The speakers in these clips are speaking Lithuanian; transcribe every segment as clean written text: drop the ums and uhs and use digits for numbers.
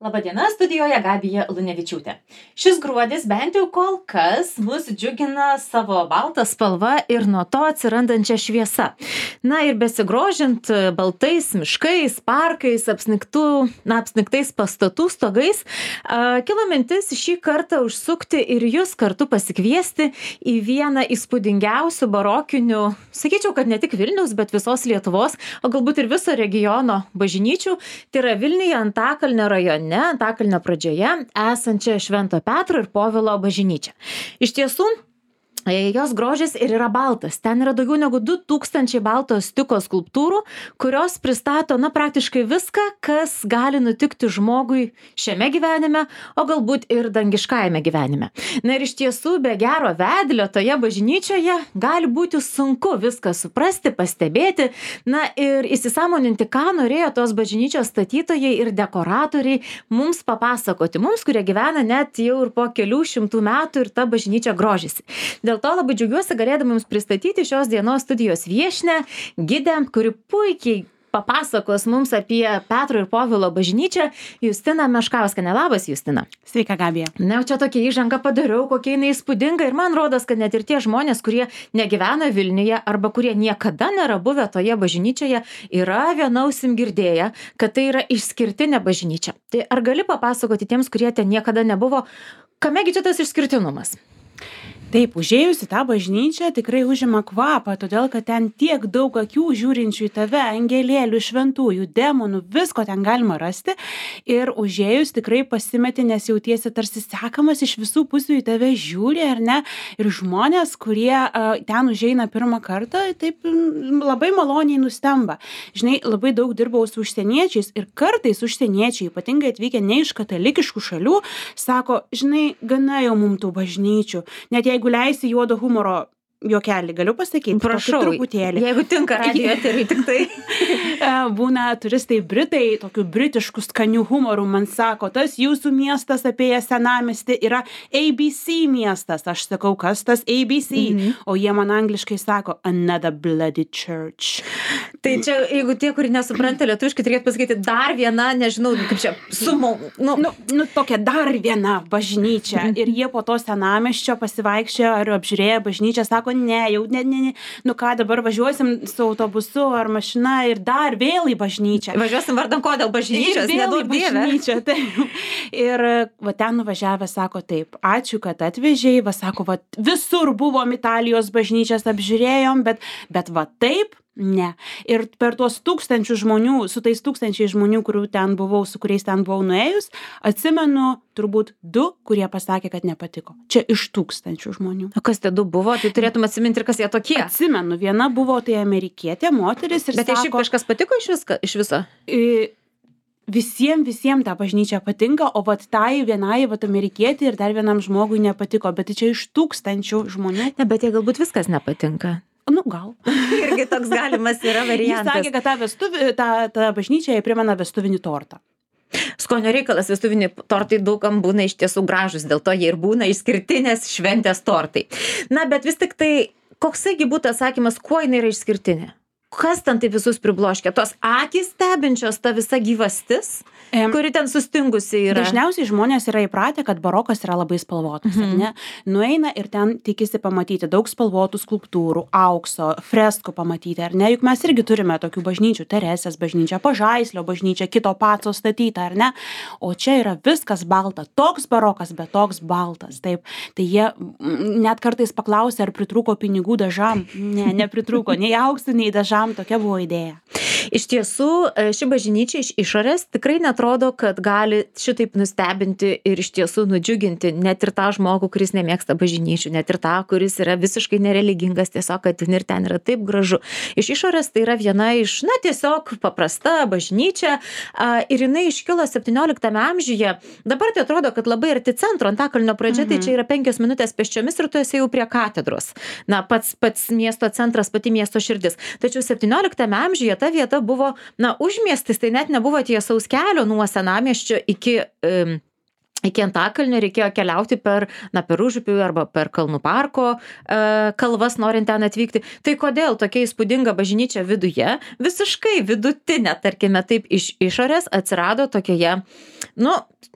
Labadiena, studijoje Gabija Lunevičiūtė. Šis gruodis bent jau kol kas mus džiugina savo baltą spalvą ir nuo to atsirandančią šviesą. Na ir besigrožint baltais miškais, parkais, apsnigtais pastatų stogais, kilo mintis šį kartą užsukti ir jūs kartu pasikviesti į vieną įspūdingiausių barokinių, sakyčiau, kad ne tik Vilniaus, bet visos Lietuvos, o galbūt ir viso regiono bažnyčių. Tai yra Vilniuje Antakalnio rajone, Antakalnio pradžioje esančią Švento Petro ir Povilo bažnyčią. Iš tiesų, jos grožis ir yra baltas. Ten yra daugiau negu 2000 balto stiko skulptūrų, kurios pristato, praktiškai viską, kas gali nutikti žmogui šiame gyvenime, o galbūt ir dangiškajame gyvenime. Na ir iš tiesų, be gero vedlio toje bažnyčioje gali būti sunku viską suprasti, pastebėti, ir įsisąmoninti, ką norėjo tos bažnyčios statytojai ir dekoratoriai mums papasakoti. Mums, kurie gyvena net jau ir po kelių šimtų metų ir ta bažnyčia grožisi. Dėl to labai džiaugiuosi galėdama jums pristatyti šios dienos studijos viešnią, gidę, kuri puikiai papasakos mums apie Petro ir Povilo bažnyčią, Justina Meškauskienė. Labas, Justina. Sveika, Gabija. Čia tokia įžanga padariau, kokia jinai įspūdinga ir man rodos, kad net ir tie žmonės, kurie negyvena Vilniuje arba kurie niekada nėra buvę toje bažnyčioje, yra viena ausim girdėję, kad tai yra išskirtinė bažnyčia. Tai ar gali papasakoti tiems, kurie ten niekada nebuvo, kamegi čia tas išskirtinumas? Taip, užėjus į tą bažnyčią tikrai užima kvapą, todėl kad ten tiek daug akių žiūrinčių į tave, angelėlių, šventųjų, demonų, visko ten galima rasti. Ir užėjus tikrai pasimeti, nes jautiesi tarsi sekamas, iš visų pusių į tave žiūri, ar ne? Ir žmonės, kurie ten užeina pirmą kartą, taip labai maloniai nustemba. Žinai, labai daug dirbau su užsieniečiais ir kartais užsieniečiai, ypatingai atvykę ne iš katalikiškų šalių, sako, žinai, gana jau mum tų bažnyčių. Net jeigu leisi juodo humoro juokelį, galiu pasakyti? Prašau, truputėlį. Jeigu tinka radijo eteriui tik tai. Būna turistai Britai, tokių britiškų skanių humorų, man sako, tas jūsų miestas apie senamiestį yra ABC miestas. Aš sakau, kas tas ABC? O jie man angliškai sako, another bloody church. Tai čia, jeigu tie, kurie nesupranta lietuviškai, reikėtų pasakyti dar viena, nežinau, kaip čia, tokia dar viena bažnyčia. Ir jie po to senamiesčio pasivaikščiojo ar apžiūrėjo bažnyčią, sako, ne, ką dabar važiuosim su autobusu ar mašina ir dar vėl į bažnyčią. Važiuosim vardan ko dėl bažnyčios, nedaug dievė. Ir ten nuvažiavę sako taip, ačiū, kad atvežėjai, sako, visur buvom Italijos bažnyčias apžiūrėjom, bet taip, ne. Ir per tuos tūkstančių žmonių, su tais tūkstančiai žmonių, su kuriais ten buvau nuėjus, atsimenu turbūt 2, kurie pasakė, kad nepatiko. Čia iš tūkstančių žmonių. O kas tie 2 buvo? Tai turėtum atsiminti ir kas jie tokie. Atsimenu, viena buvo tai amerikietė, moteris ir bet sako... Bet šiaip kažkas patiko iš viso? Visiems ta bažnyčia patinka, o tai vienai amerikietė ir dar vienam žmogui nepatiko, bet čia iš tūkstančių žmonių. Ne, bet jie galbūt viskas nepatinka. Gal. Irgi toks galimas yra variantas. Jis sakė, kad ta bažnyčia primena vestuvinį tortą. Skonio reikalas, vestuviniai tortai daugam būna iš tiesų gražus, dėl to jie ir būna išskirtinės šventės tortai. Bet vis tik tai, koksai būtų atsakymas, kuo jinai yra išskirtinė? Kas ten tai visus pribloškia? Tos akys stebinčios, ta visa gyvastis, kuri ten sustingusi yra. Dažniausiai žmonės yra įpratę, kad barokas yra labai spalvotas, ne? Nueina ir ten tikisi pamatyti daug spalvotų skulptūrų, aukso, freskų pamatyti, ar ne? Juk mes irgi turime tokių bažnyčių, Teresės bažnyčia, Pažaislio bažnyčia, kito Paco statyta, ar ne? O čia yra viskas balta, toks barokas, bet toks baltas, taip. Tai jie net kartais paklausė, ar pritrūko pinigų dažam. Ne, nepritrūko, nei auksų, nei dažam. Tokia buvo idėja. Iš tiesų, ši bažnyčia iš išorės tikrai netrodo, kad gali šitaip nustebinti ir iš tiesų nudžiuginti net ir tą žmogų, kuris nemėgsta bažnyčių, net ir tą, kuris yra visiškai nereligingas, tiesiog, kad ir ten yra taip gražu. Iš išorės tai yra viena iš, tiesiog paprasta bažnyčia ir jinai iškilo 17 amžiuje. Dabar tai atrodo, kad labai arti centro, Antakalnio pradžia, tai čia yra 5 minutės pėsčiomis ir tu esi jau prie katedros. Pats miesto centras, pati miesto širdis. Tačiau 17 amžiuje ta vieta buvo, užmiestis, tai net nebuvo tiesaus kelio nuo senamiesčio iki Antakalnio reikėjo keliauti per Užupį arba per Kalnų parko kalvas, norint ten atvykti. Tai kodėl tokia įspūdinga bažnyčia viduje, visiškai vidutinė, tarkime taip, iš išorės atsirado tokioje,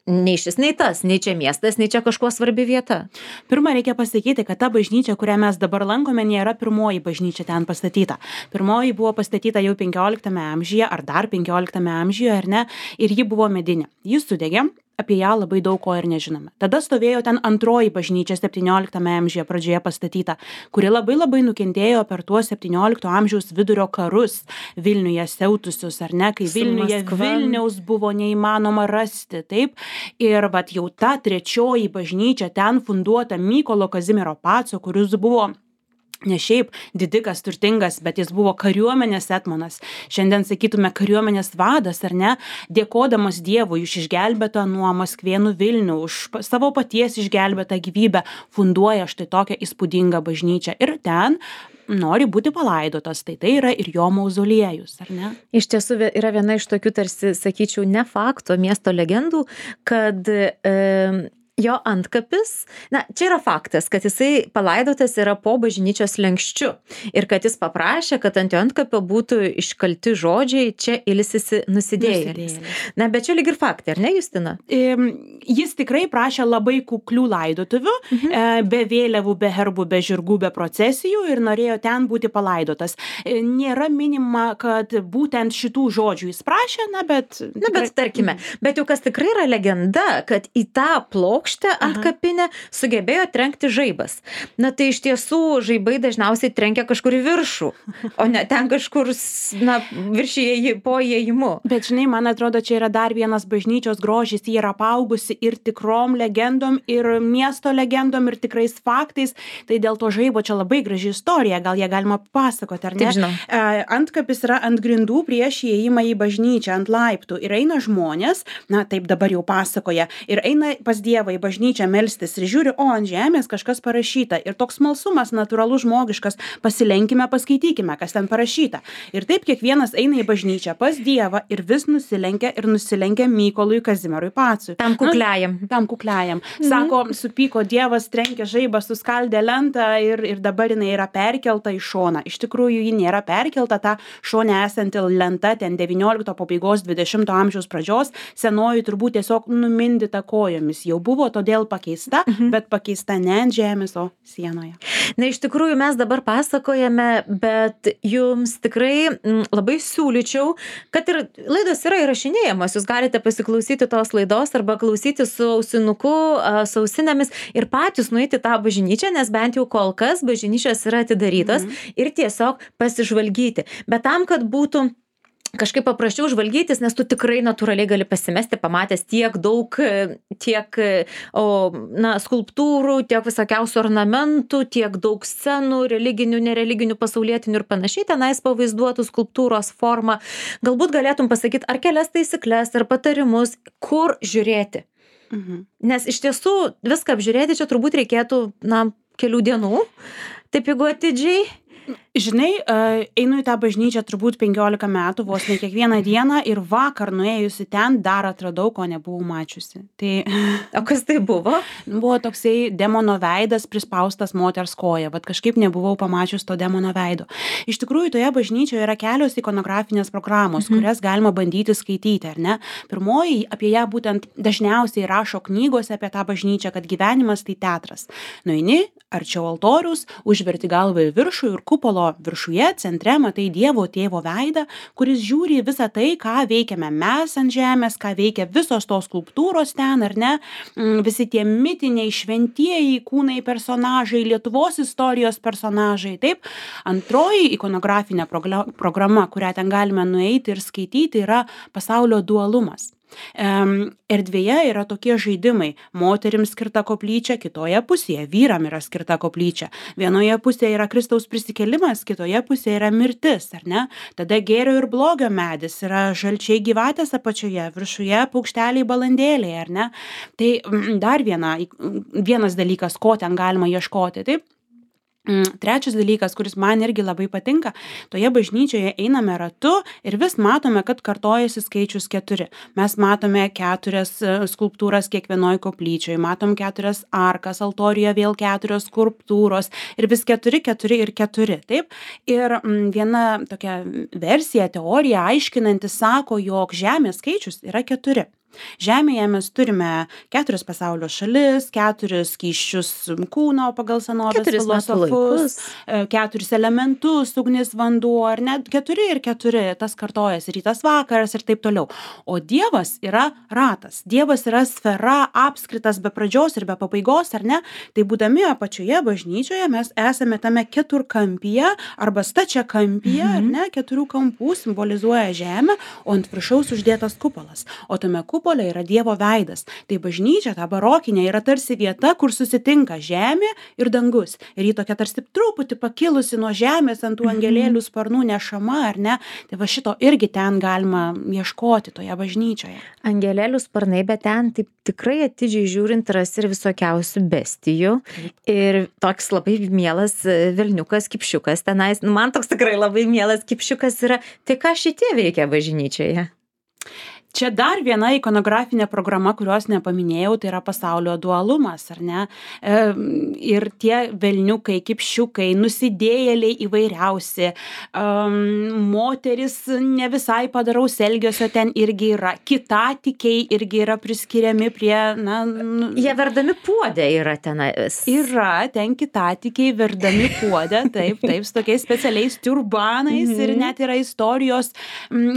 nei šis, nei tas, nei čia miestas, nei čia kažkuo svarbi vieta? Pirma, reikia pasakyti, kad ta bažnyčia, kurią mes dabar lankome, nėra pirmoji bažnyčia ten pastatyta. Pirmoji buvo pastatyta jau 15 amžiuje, ar dar 15 amžiuje, ar ne, ir ji buvo medinė. Jis sudegė. Apie ją labai daug ko ir nežinome. Tada stovėjo ten antroji bažnyčia 17 amžiuje pradžioje pastatyta, kuri labai nukentėjo per tuos 17 amžiaus vidurio karus Vilniuje siautusius, ar ne, kai Vilniuje Vilniaus buvo neįmanoma rasti, taip. Ir vat jau ta trečioji bažnyčia ten funduota Mykolo Kazimiero Paco, kuris buvo ne šiaip didikas, turtingas, bet jis buvo kariuomenės etmonas. Šiandien sakytume kariuomenės vadas, ar ne, dėkodamas Dievui už išgelbėtą nuo Maskvėnų Vilnių, už savo paties išgelbėtą gyvybę, funduoja štai tokią įspūdingą bažnyčią. Ir ten nori būti palaidotas, tai yra ir jo mauzoliejus, ar ne? Iš tiesų yra viena iš tokių, tarsi, sakyčiau, ne fakto, miesto legendų, kad jo antkapis, čia yra faktas, kad jisai palaidotas yra po bažnyčios slenksčiu ir kad jis paprašė, kad ant jo antkapio būtų iškalti žodžiai, čia ilsisi nusidėjėlis. Bet čia lyg ir faktai, ar ne, Justina? Jis tikrai prašė labai kuklių laidotuvių, be vėliavų, be herbų, be žirgų, be procesijų ir norėjo ten būti palaidotas. Nėra minima, kad būtent šitų žodžių jis prašė, bet tarkime, bet jau kas tikrai yra legenda, kad į tą plokštę ant kapinę sugebėjo trenkti žaibas. Tai iš tiesų žaibai dažniausiai trenkia kažkur į viršų, o ne ten kažkur viršyje po įėjimu. Bet žinai, man atrodo, čia yra dar vienas bažnyčios grožis, jie yra apaugusi ir tikrom legendom, ir miesto legendom, ir tikrais faktais, tai dėl to žaibo čia labai graži istorija, gal ją galima pasakoti, ar ne? Taip, žinau. Antkapis yra ant grindų prieš įėjimą į bažnyčią, ant laiptų, ir eina žmonės, taip dabar jau pasakoja, ir eina pas Dievą į bažnyčią melstis ir žiūri, ant žemės kažkas parašyta. Ir toks smalsumas natūralus žmogiškas, pasilenkime, paskaitykime, kas ten parašyta. Ir taip kiekvienas eina į bažnyčią pas Dievą ir vis nusilenkia Mykolui Kazimierui Pacui. Tam kukliajam. Sako, supyko Dievas, trenkė žaibą, suskaldė lentą ir dabar jinai yra perkelta į šoną. Iš tikrųjų, ji nėra perkelta, ta šone esanti lenta ten 19 pabaigos 20 amžiaus pradžios, senoji turbūt tiesiog numindyta kojomis. Jau buvo todėl pakeista, bet pakeista ne ant žemės, o sienoje. Iš tikrųjų mes dabar pasakojame, bet jums tikrai labai siūlyčiau, kad ir laidos yra įrašinėjamas, jūs galite pasiklausyti tos laidos arba klausyti su ausinuku, su ausinėmis ir patys nueiti tą bažnyčią, nes bent jau kol kas bažnyčios yra atidarytos ir tiesiog pasižvalgyti. Bet tam, kad būtų kažkaip paprasčiau žvalgytis, nes tu tikrai natūraliai gali pasimesti, pamatęs tiek daug, skulptūrų, tiek visokiausių ornamentų, tiek daug scenų, religinių, nereliginių, pasaulietinių ir panašiai, tenais pavaizduotų skulptūros formą. Galbūt galėtum pasakyti ar kelias taisyklės, ar patarimus, kur žiūrėti. Nes iš tiesų viską apžiūrėti čia turbūt reikėtų, kelių dienų, taip jeigu atidžiai. Žinai, einu į tą bažnyčią turbūt 15 metų, vos ne kiekvieną dieną ir vakar nuėjusi ten dar atradau, ko nebuvau mačiusi. O kas tai buvo? Buvo toksai demono veidas prispaustas moters koja, bet kažkaip nebuvau pamačius to demono veido. Iš tikrųjų, toje bažnyčioje yra kelios ikonografinės programos, kurias galima bandyti skaityti, ar ne? Pirmoji, apie ją būtent dažniausiai rašo knygose apie tą bažnyčią, kad gyvenimas tai teatras. Nueini, arčiau altorius, užverti galvą į viršų ir kupolo viršuje, centre matai Dievo tėvo veidą, kuris žiūri visą tai, ką veikiame mes ant žemės, ką veikia visos tos skulptūros ten, ar ne, visi tie mitiniai, šventieji kūnai personažai, Lietuvos istorijos personažai, taip. Antroji ikonografinė programa, kurią ten galime nueiti ir skaityti, yra pasaulio dualumas. Erdvėje yra tokie žaidimai. Moterims skirta koplyčia, kitoje pusėje vyram yra skirta koplyčia. Vienoje pusėje yra Kristaus prisikėlimas, kitoje pusėje yra mirtis, ar ne? Tada gėrio ir blogio medis, yra žalčiai gyvatės apačioje, viršuje paukšteliai balandėliai, ar ne? Tai dar vienas dalykas, ko ten galima ieškoti, taip? Trečias dalykas, kuris man irgi labai patinka, toje bažnyčioje einame ratu ir vis matome, kad kartojasi skaičius 4. Mes matome 4 skulptūras kiekvienoj koplyčioje, matom 4 arkas, altorijoje vėl 4 skulptūros ir vis 4, 4 ir 4. Taip? Ir viena tokia versija, teorija aiškinanti sako, jog Žemės skaičius yra 4. Žemėje mes turime 4 pasaulio šalis, 4 skysčius kūno pagal senovės filosofus, 4 elementus, ugnis, vanduo, ar net 4 ir 4, tas kartojasi rytas vakaras ir taip toliau. O Dievas yra ratas, Dievas yra sfera, apskritas be pradžios ir be pabaigos, ar ne? Tai būdami apačioje bažnyčioje mes esame tame keturkampyje arba stačiakampyje, ar ne? 4 kampų simbolizuoja žemę, o ant viršaus uždėtas kupolas. O tame kupole yra Dievo veidas. Tai bažnyčia, ta barokinė, yra tarsi vieta, kur susitinka žemė ir dangus. Ir ji tokia tarsi truputį pakilusi nuo žemės ant tų angelėlių sparnų nešama, ar ne? Tai va šito irgi ten galima ieškoti toje bažnyčioje. Angelėlių sparnai, bet ten taip tikrai atidžiai žiūrint rasi ir visokiausių bestijų. Ir toks labai mielas velniukas, kipšiukas tenais. Man toks tikrai labai mielas kipšiukas yra. Tai ką šitie veikia bažnyčioje? Čia dar viena ikonografinė programa, kurios nepaminėjau, tai yra pasaulio dualumas, ar ne? Ir tie velniukai, kipšiukai, nusidėjėliai įvairiausi, moteris ne visai padaraus elgesio ten irgi yra, kitatikiai irgi yra priskiriami prie, Jie verdami puodė yra tenais. Yra, ten kitatikiai verdami puodė, taip, su tokiais specialiais turbanais ir net yra istorijos,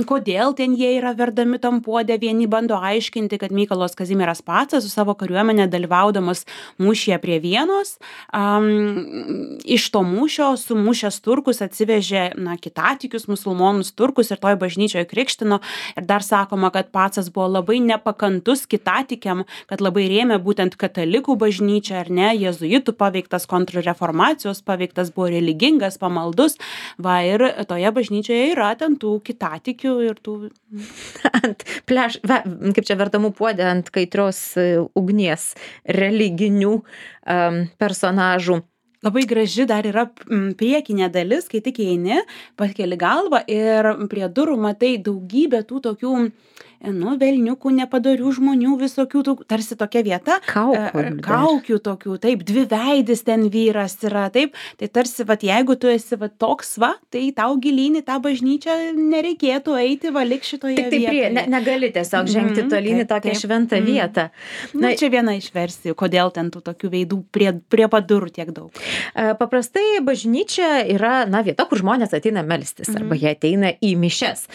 kodėl ten jie yra verdami tam puodė. Vieni bando aiškinti, kad Mykolas Kazimieras Pacas su savo kariuomenė dalyvaudamas mūšyje prie Vienos, iš to mūšio sumušęs turkus atsivežė kitatikius, musulmonus turkus ir toj bažnyčioje krikštino. Ir dar sakoma, kad Pacas buvo labai nepakantus kitatikiam, kad labai rėmė būtent katalikų bažnyčią, ar ne, jėzuitų paveiktas, kontrreformacijos paveiktas, buvo religingas, pamaldus. Va, ir toje bažnyčioje yra ten tų kitatikių ir tų... Kaip čia verdamų puodė ant kaitrios ugnies religinių personažų. Labai graži dar yra priekinė dalis, kai tik eini, pakeli galvą ir prie durų matai daugybę tų tokių velniukų, nepadorių žmonių, visokių, tarsi tokia vieta. Kaukių tokių, taip, dviveidis ten vyras yra, taip. Tai tarsi, jeigu tu esi toks, tai tau gilyn į tą bažnyčią nereikėtų eiti, lik šitoje vietoje. Negali tiesiog žengti tolyn į tokią šventą vietą. Čia viena iš versijų, kodėl ten tų tokių veidų prie padurų tiek daug. Paprastai bažnyčia yra, vieta, kur žmonės ateina melstis, arba jie ateina į mišias.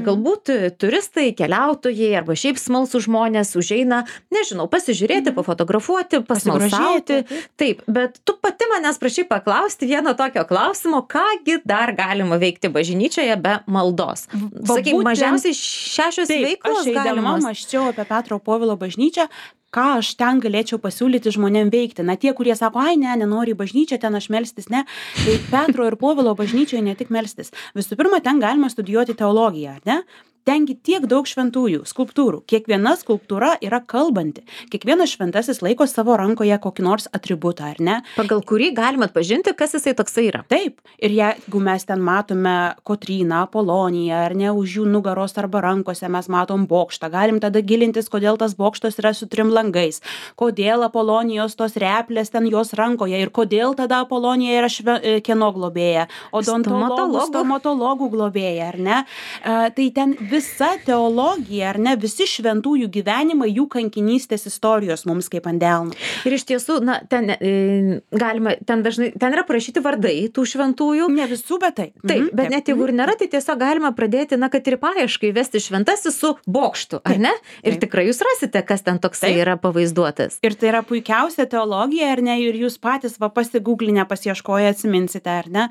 Galbūt turistai, keliautojai, arba šiaip smalsūs žmonės užeina, nežinau, pasižiūrėti, pafotografuoti, pasmalsauti. Taip, bet tu pati manęs prašai paklausti vieno tokio klausimo, kągi dar galima veikti bažnyčioje be maldos. Sakyk, mažiausiai 6 veiklos galimos. Aš eidama mąsčiau apie Petro Povilo bažnyčią, ką aš ten galėčiau pasiūlyti žmonėm veikti. Tie, kurie sako, nenori į bažnyčią, ten aš melstis, ne. Tai Petro ir Povilo bažnyčioje ne tik melstis. Visų pirma, ten galima studijuoti teologiją, ne? Tengi tiek daug šventųjų, skulptūrų. Kiekviena skulptūra yra kalbanti. Kiekvienas šventasis laiko savo rankoje kokį nors atributą, ar ne? Pagal kurį galima atpažinti, kas jisai toksai yra. Taip. Ir jeigu mes ten matome Kotryną, Apoloniją, ar ne, už jų nugaros arba rankose mes matom bokštą, galim tada gilintis, kodėl tas bokštas yra su 3 langais, kodėl Apolonijos tos replės ten jos rankoje ir kodėl tada Apolonija yra kieno globėja, odontologų, stomatologų globėja, ar ne? Tai ten visa teologija, ar ne, visi šventųjų gyvenimai, jų kankinystės istorijos mums kaip ant delno. Ir iš tiesų, ten galima, ten yra parašyti vardai tų šventųjų. Ne visų, bet taip. Taip, bet net jeigu ir nėra, tai tiesiog galima pradėti, kad ir paieškai vesti šventasis su bokštu, ar ne? Ir tikrai jūs rasite, kas ten toksai yra pavaizduotas. Ir tai yra puikiausia teologija, ar ne, ir jūs patys pasigūglinę, pasieškoję atsiminsite, ar ne,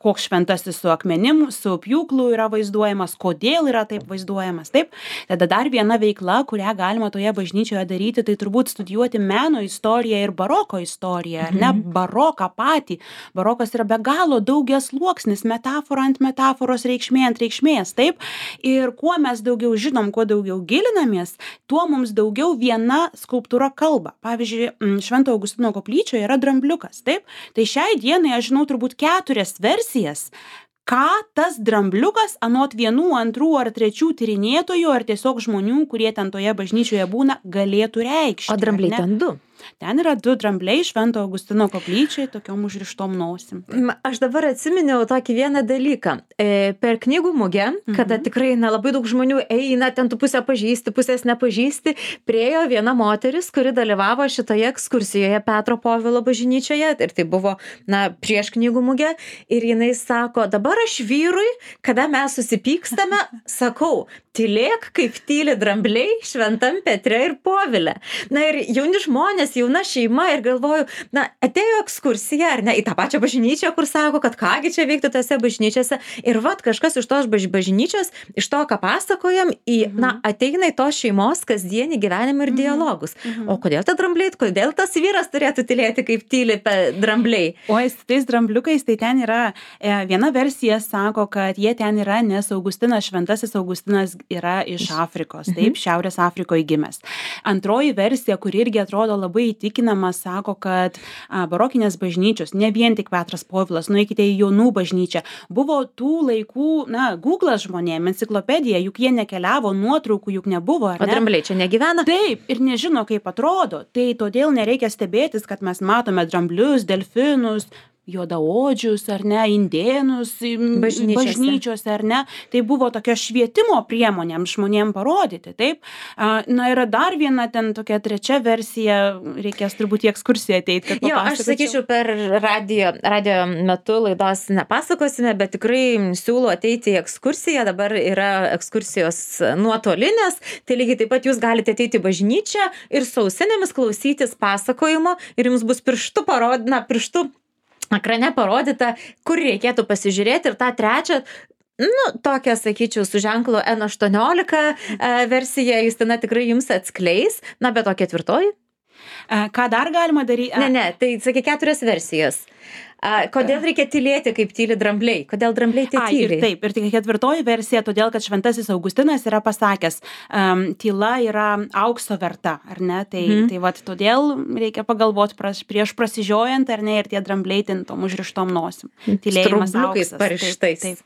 koks šventasis su akmenim, su pjūklu yra vaizduojamas, kodėl kodėl yra taip vaizduojamas, taip. Tada dar viena veikla, kurią galima toje bažnyčioje daryti, tai turbūt studijuoti meno istoriją ir baroko istoriją, ar ne, baroką patį. Barokas yra be galo daugiasluoksnis, metafora ant metaforos, reikšmė ant reikšmės, taip. Ir kuo mes daugiau žinom, kuo daugiau gilinamės, tuo mums daugiau viena skulptūra kalba. Pavyzdžiui, Švento Augustino koplyčioje yra drambliukas, taip. Tai šiai dienai aš žinau turbūt 4 versijas, ką tas drambliukas anot 1, 2 ar 3 tyrinėtojų ar tiesiog žmonių, kurie ten toje bažnyčioje būna, galėtų reikšti. O drambliai ten 2? Ten yra 2 drambliai Švento Augustino koplyčiai, tokiom užrištom nosim. Aš dabar atsiminiau tokį vieną dalyką. Per knygų mugę, kada tikrai labai daug žmonių eina, ten tu pusę pažįsti, pusės nepažįsti, priėjo viena moteris, kuri dalyvavo šitoje ekskursijoje Petro Povilo bažnyčioje, ir tai buvo, prieš knygų mugę, ir jinai sako, dabar aš vyrui, kada mes susipykstame, sakau, tylėk, kaip tyli drambliai Šventam Petre ir Povile. Ir jauni žmonės, jauna šeima, ir galvoju, atėjo ekskursija, ar ne, į tą pačią bažnyčią, kur sako, kad kągi čia veiktų tose bažnyčiose, ir kažkas iš tos bažnyčios, iš to, ką pasakojam, ateina į tos šeimos kasdienį gyvenimą ir dialogus. O kodėl ta drambliai, kodėl tas vyras turėtų tylėti, kaip tyli drambliai? O su tais drambliukais, tai ten yra, viena versija sako, kad jie ten yra, nes Augustinas, Šventasis Augustinas yra iš Afrikos, taip, Šiaurės Afrikoje gimęs. Antroji versija, kuri irgi atrodo labai įtikinama, sako, kad barokinės bažnyčios, ne vien tik Petras Povilas, nueikite į Jonų bažnyčią, buvo tų laikų, Google'as žmonėm, enciklopedija, juk jie nekeliavo, nuotraukų juk nebuvo, ar ne? O drambliai čia negyvena? Taip, ir nežino, kaip atrodo. Tai todėl nereikia stebėtis, kad mes matome dramblius, delfinus, juodaodžius, ar ne, indėnus bažnyčiose, ar ne. Tai buvo tokia švietimo priemonėm žmonėm parodyti, taip. Yra dar viena ten tokia 3 versija, reikės turbūt į ekskursiją ateiti, kad papasakočiau. Aš sakyčiau, per radio metu laidos nepasakosime, bet tikrai siūlau ateiti į ekskursiją, dabar yra ekskursijos nuotolinės, tai lygiai taip pat jūs galite ateiti į bažnyčią ir su ausinėmis klausytis pasakojimo, ir jums bus pirštu ekrane parodyta, kur reikėtų pasižiūrėti, ir tą 3, tokią, sakyčiau, su ženklu N18 versiją Justina tikrai jums atskleis, bet o 4? Ką dar galima daryti? Ne, tai sakė 4 versijos. Kodėl reikia tylėti, kaip tyli drambliai? Kodėl drambliai tai tyli? Taip, ir tik 4 versija, todėl, kad Šventasis Augustinas yra pasakęs, tyla yra aukso verta, ar ne? Tai todėl reikia pagalvoti prieš prasižiojant, ar ne, ir tie drambliai ten tom užrištom nosim. Tylėjimas auksas. Parištais.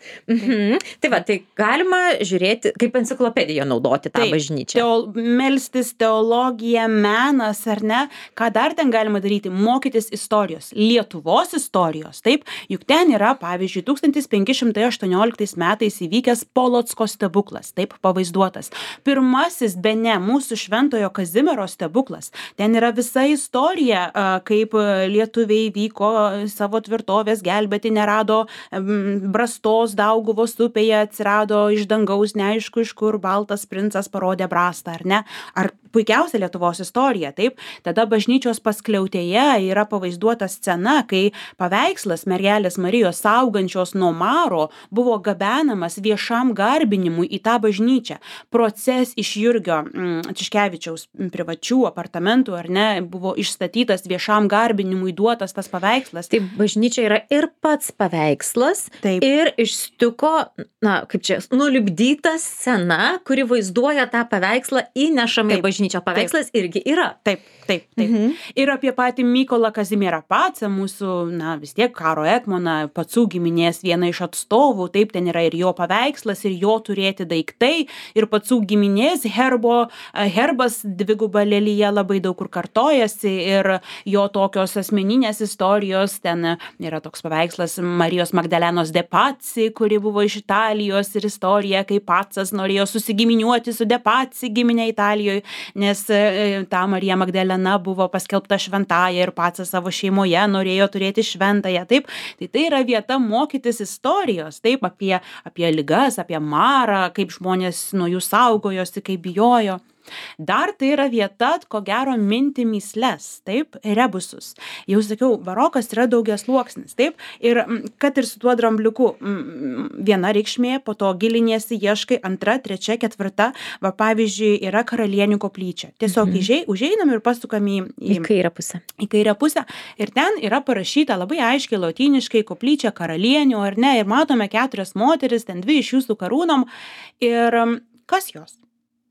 Tai galima žiūrėti, kaip enciklopediją naudoti tą bažnyčią. Melstis, teologija, menas, ar ne? Ką dar ten galima daryti? Mokytis istorijos. Lietuvos istorijos. Taip, juk ten yra, pavyzdžiui, 1518 metais įvykęs Polocko stebuklas, taip pavaizduotas. Pirmasis, bene, mūsų Šventojo Kazimiero stebuklas. Ten yra visa istorija, kaip lietuviai vyko savo tvirtovės gelbėti, nerado brastos Dauguvos upėje, atsirado iš dangaus, neaišku iš kur, baltas princas parodė brastą, ar ne? Ar puikiausia Lietuvos istorija, taip? Tada bažnyčios paskliautėje yra pavaizduota scena, kai paveikslas mergelės Marijos saugančios nuo maro buvo gabenamas viešam garbinimui į tą bažnyčią. Proces iš Jurgio Tiškevičiaus privačių apartamentų, ar ne, buvo išstatytas viešam garbinimui, duotas tas paveikslas. Tai bažnyčia yra ir pats paveikslas, taip, ir išstiko, nulipdyta scena, kuri vaizduoja tą paveikslą, įnešama į bažnyčią. Paveikslas irgi yra. Taip. Ir apie patį Mykolą Kazimierą Pacą, mūsų, vis tiek karo etmoną, Pacų giminės viena iš atstovų, taip, ten yra ir jo paveikslas, ir jo turėti daiktai, ir Pacų giminės herbas dviguba lelija labai daug kur kartojasi, ir jo tokios asmeninės istorijos, ten yra toks paveikslas Marijos Magdalenos de Pazzi, kuri buvo iš Italijos, ir istorija, kai Pacas norėjo susigiminiuoti su de Pazzi giminė Italijoje, nes ta Marija Magdalena buvo paskelbta šventąja ir Pacas savo šeimoje norėjo turėti šventąją, taip. Tai yra vieta mokytis istorijos, taip, apie ligas, apie marą, kaip žmonės nuo jų saugojosi, kaip bijojo. Dar tai yra vieta, ko gero, minti mįsles, taip, rebusus. Jau sakiau, barokas yra daugiasluoksnis, taip, ir kad ir su tuo drambliuku viena reikšmė, po to giliniesi, ieškai, antra, trečia, ketvirta, va pavyzdžiui, yra Karalienių koplyčia. Tiesiog užeinam ir pasukam į kairę pusę. Į kairę pusę ir ten yra parašyta labai aiškiai lotyniškai koplyčia karalienių, ar ne, ir matome 4 moteris, ten 2 iš jų su karūnom ir kas jos?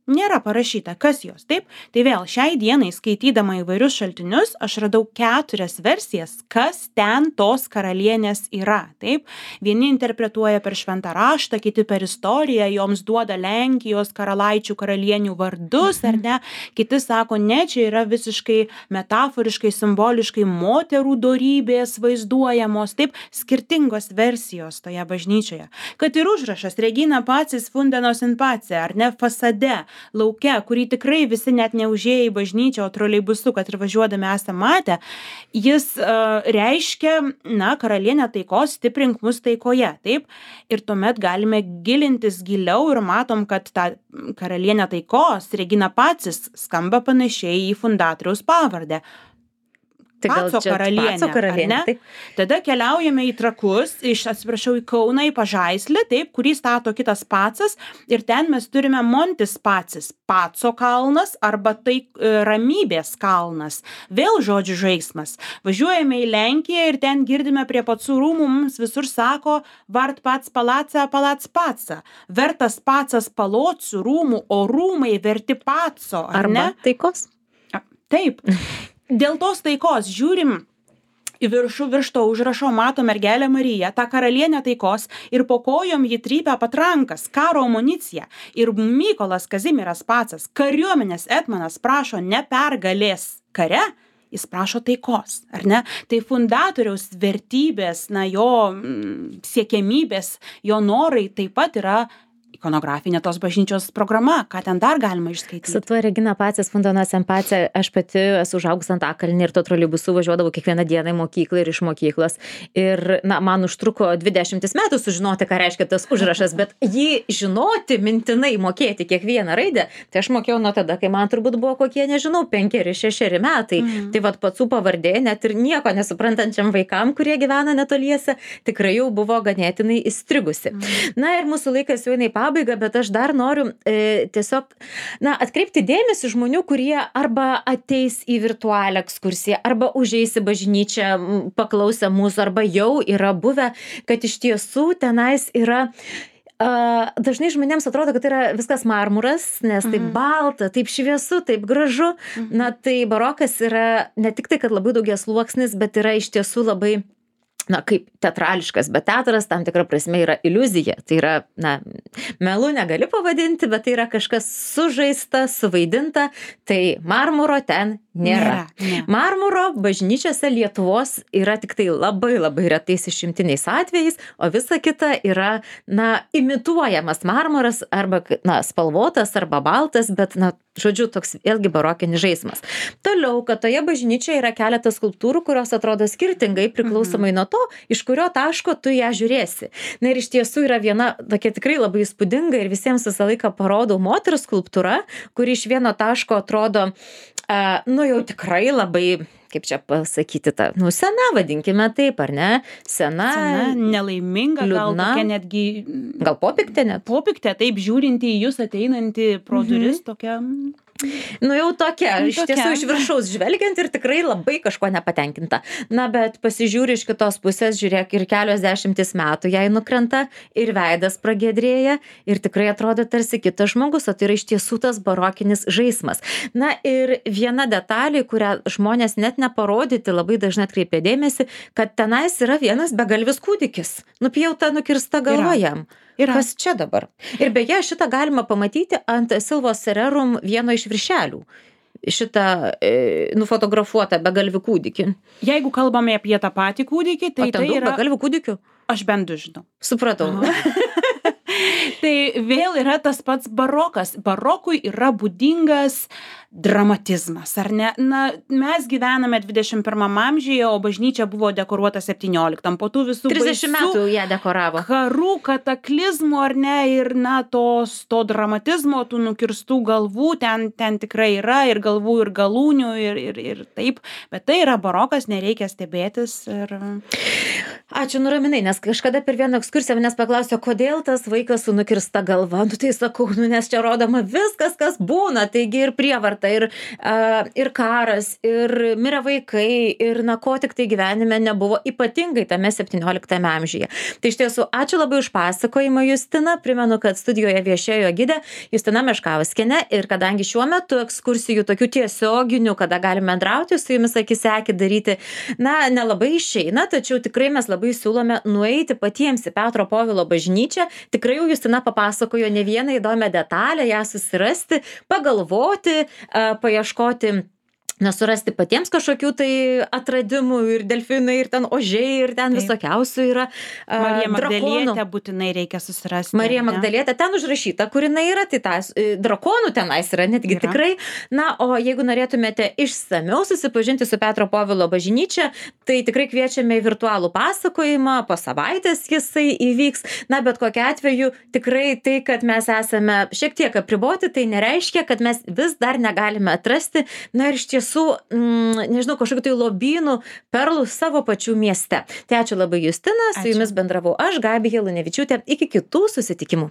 Nėra parašyta, kas jos, taip? Tai vėl, šiai dienai skaitydama įvairius šaltinius, aš radau 4 versijas, kas ten tos karalienės yra, taip? Vieni interpretuoja per šventą raštą, kiti per istoriją, joms duoda Lenkijos karalaičių karalienių vardus, ar ne? Kiti sako, ne, čia yra visiškai metaforiškai, simboliškai moterų dorybės vaizduojamos, taip? Skirtingos versijos toje bažnyčioje. Kad ir užrašas Regina Pacis Fundenos in Pace, ar ne, fasade, lauke, kurį tikrai visi net neužėję į bažnyčią, o troleibusu, kad ir važiuodami esame matę, jis reiškia, na, karalienė taikos, stiprink mus taikoje, taip? Ir tuomet galime gilintis giliau ir matom, kad ta karalienė taikos, Regina Pacis, skamba panašiai į fundatoriaus pavardę. Paco karalienė, ne? Tada keliaujame į Trakus, į Kauną, į Pažaislį, taip, kurį stato kitas Pacas, ir ten mes turime Montis Pacis, Paco kalnas arba tai ramybės kalnas. Vėl žodžių žaismas. Važiuojame į Lenkiją ir ten girdime prie Pacų rūmų, mums visur sako Vart Pac Palaca, Palac Paca. Vertas Pacas Palocių rūmų, o rūmai verti Paco, ar ne? Arba taikos? Taip. Dėl tos taikos žiūrim į viršų, virš to užrašo mato mergelę Mariją, tą karalienę taikos, ir po kojom jį trypia patrankas, karo amuniciją. Ir Mykolas Kazimieras Pacas, kariuomenės etmonas, prašo ne pergalės kare, jis prašo taikos, ar ne? Tai fundatoriaus vertybės, na, jo siekiamybės, jo norai taip pat yra ikonografinė tos bažnyčios programa, ką ten dar galima išskaityti. Su tuo Regina Pacis Fundanos in Pace aš pati esu užaugus ant Antakalny ir to troleibusu važiuodavau kiekvieną dieną į mokyklą ir iš mokyklos. Ir, na, man užtruko 20 metų sužinoti, ką reiškia tas užrašas, bet jį žinoti, mintinai mokėti kiekvieną raidę, tai aš mokėjau nuo tada, kai man turbūt buvo kokie, nežinau, 5-6 metai. Tai vat Pacų pavardė, net ir nieko nesuprantančiam vaikam, kurie gyvena netoliese, tikrai jau buvo ganėtinai įstrigusi. Na ir mūsų laikas jau eina į pabaigą, bet aš dar noriu tiesiog, na, atkreipti dėmesį žmonių, kurie arba ateis į virtualią ekskursiją, arba užeis į bažnyčią, paklausę mūsų, arba jau yra buvę, kad iš tiesų tenais yra dažnai žmonėms atrodo, kad tai yra viskas marmuras, nes taip balta, taip šviesu, taip gražu. Na, tai barokas yra ne tik tai, kad labai daugiasluoksnis, bet yra iš tiesų labai, na, kaip teatrališkas, bet teatras tam tikra prasme yra iliuzija. Tai yra, na, melu negali pavadinti, bet tai yra kažkas sužaista, suvaidinta, tai marmuro ten nėra. Marmuro bažnyčiose Lietuvos yra tik tai labai labai retais išimtiniais atvejais, o visa kita yra, na, imituojamas marmuras arba, na, spalvotas arba baltas, bet, na, žodžiu, toks vėlgi barokinis žaismas. Toliau, kad toje bažnyčioje yra keletas skulptūrų, kurios atrodo skirtingai priklausomai nuo to, iš kurio taško tu ją žiūrėsi. Na ir iš tiesų yra viena tokia tikrai labai įspūdinga ir visiems visą laiką parodau moters skulptūra, kuri iš vieno taško atrodo, nu jau tikrai labai, kaip čia pasakyti, ta, nu, sena, vadinkime taip, ar ne? Sena, nelaiminga, liūdna, gal tokia netgi... Gal popiktė net? Popiktė, taip, žiūrinti į jūs ateinantį pro duris, tokia... Nu jau tokia, iš tiesų iš viršaus žvelgiant ir tikrai labai kažko nepatenkinta. Na, bet pasižiūri iš kitos pusės, žiūrėk, ir kelios 10 metų jai nukrenta ir veidas pragiedrėja ir tikrai atrodo tarsi kitas žmogus, o tai yra iš tiesų tas barokinis žaismas. Na ir viena detalė, kurią žmonės net neparodyti labai dažnai atkreipia dėmesį, kad tenais yra vienas begalvis kūdikis, nupjauta, nukirsta galva jam. Kas čia dabar? Ir beje, šitą galima pamatyti ant Silvos Sererum vieno iš viršelių. Šitą nufotografuotą begalvį kūdikį. Jeigu kalbame apie tą patį kūdikį, tai o ten tai daug yra... begalvių kūdikių? Aš bent 2 žinau. Supratau. Tai vėl yra tas pats barokas. Barokui yra būdingas dramatizmas, ar ne? Na, mes gyvename 21 amžiuje, o bažnyčia buvo dekoruota 17. Po tų visų 30 metų ją dekoravo. Karų, kataklizmų, ar ne? Ir, na, to dramatizmo, tų nukirstų galvų ten tikrai yra, ir galvų, ir galūnių, ir taip. Bet tai yra barokas, nereikia stebėtis. Ačiū, nuraminai, nes kažkada per vieną ekskursiją manęs paklausė, kodėl tas vaikas su nukirsta galva. Nu tai sakau, nes čia rodoma viskas, kas būna. Taigi ir prievarta, ir karas, ir mirę vaikai, ir na ko tik tai gyvenime nebuvo, ypatingai tame 17 amžiuje. Tai iš tiesų, ačiū labai už pasakojimą, Justina. Primenu, kad studijoje viešėjo gidė Justina Meškauskienė, ir kadangi šiuo metu ekskursijų tokių tiesioginių, kada galime bendrauti su jumis akis į akį daryti, na, nelabai išeina, tačiau tikrai mes labai siūlome nueiti patiems į Petro Povilo bažnyčią. Tikrai jau Justina papasakojo ne vieną įdomią detalę, ją susirasti, pagalvoti, paieškoti, nesurasti patiems kažkokių tai atradimų, ir delfinai, ir ten ožiai, ir ten visokiausių yra Marija drakonų. Magdalietė būtinai reikia susirasti. Marija Magdalietė ten užrašyta, kur jinai yra, tai tas drakonų tenais yra netgi Yra. tikrai. Na, o jeigu norėtumėte išsamiau susipažinti su Petro Povilo bažnyčia, tai tikrai kviečiame į virtualų pasakojimą, po savaitės jisai įvyks. Na, bet kokiu atveju tikrai tai, kad mes esame šiek tiek apriboti, tai nereiškia, kad mes vis dar negalime atrasti, na ir iš tiesų, nežinau, kažkokių tai lobynų, perlų savo pačių mieste. Tai ačiū labai, Justina, su jumis bendravau aš, Gabija Lunevičiūtė, iki kitų susitikimų.